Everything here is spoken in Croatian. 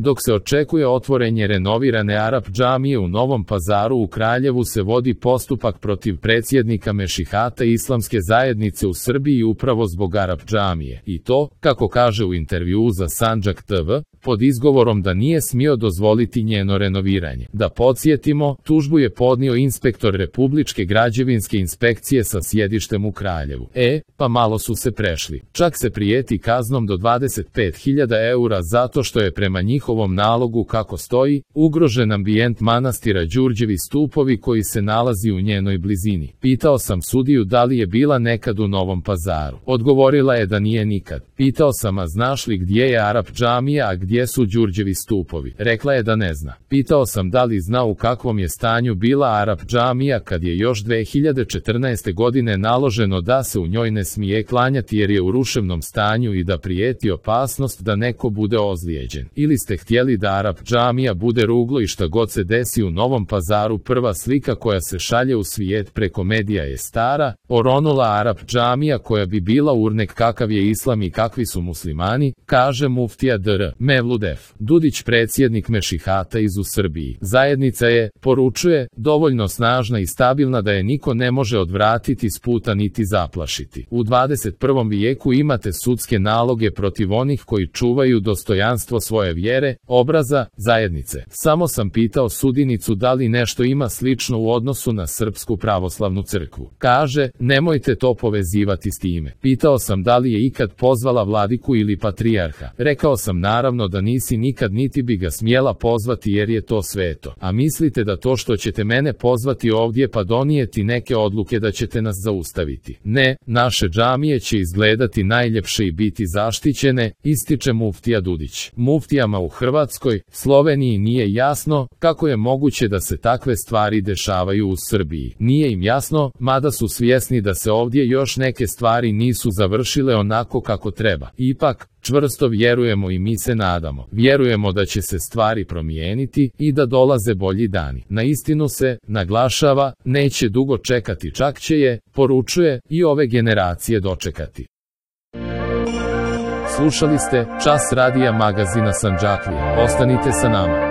Dok se očekuje otvorenje renovirane Arap džamije u Novom Pazaru, u Kraljevu se vodi postupak protiv predsjednika Mešihata Islamske zajednice u Srbiji upravo zbog Arap džamije. I to, kako kaže u intervjuu za Sandžak TV, pod izgovorom da nije smio dozvoliti njeno renoviranje. Da podsjetimo, tužbu je podnio inspektor Republičke građevinske inspekcije sa sjedištem u Kraljevu. Pa malo su se prešli. Čak se prijeti kaznom do 25.000 eura zato što je prema njihovom nalogu, kako stoji, ugrožen ambijent manastira Đurđevi stupovi koji se nalazi u njenoj blizini. Pitao sam sudiju da li je bila nekad u Novom Pazaru. Odgovorila je da nije nikad. Pitao sam, a znaš li gdje je Arap džamija, a gdje su Đurđevi stupovi? Rekla je da ne zna. Pitao sam da li zna u kakvom je stanju bila Arap džamija kad je još 2014. godine naloženo da se u njoj ne smije klanjati jer je u ruševnom stanju i da prijeti opasnost da neko bude ozlijeđen. Ili ste htjeli da Arap džamija bude ruglo i šta god se desi u Novom Pazaru? Prva slika koja se šalje u svijet preko medija je stara, oronula Arap džamija koja bi bila urnek kakav je islam i kakvi su muslimani, kaže muftija Dr. Mevlud F. Dudić, predsjednik Mešihata iz u Srbiji. Zajednica je, poručuje, dovoljno snažna i stabilna da je niko ne može odvratiti s puta niti zaplašiti. U 21. vijeku imate sudske naloge protiv onih koji čuvaju dostojanstvo svoje vjere, obraza, zajednice. Samo sam pitao sudinicu da li nešto ima slično u odnosu na Srpsku pravoslavnu crkvu. Kaže, nemojte to povezivati s time. Pitao sam da li je ikad pozvala vladiku ili patrijarha. Rekao sam naravno da nisi nikad, niti bi ga smjela pozvati jer je to sveto. A mislite da to što ćete mene pozvati ovdje pa donijeti neke odluke da ćete nas zaustaviti? Ne, naše džamije će izgledati najljepše i biti zaštićene, ističe muftija Dudić. Muftijama u Hrvatskoj, Sloveniji nije jasno kako je moguće da se takve stvari dešavaju u Srbiji. Nije im jasno, mada su svjesni da se ovdje još neke stvari nisu završile onako kako treba. Ipak, čvrsto vjerujemo i mi se nadamo. Vjerujemo da će se stvari promijeniti i da dolaze bolji dani. Na istinu se, naglašava, neće dugo čekati, čak će je, poručuje, i ove generacije dočekati. Slušali ste Čas radija magazina Sandžaklija. Ostanite sa nama.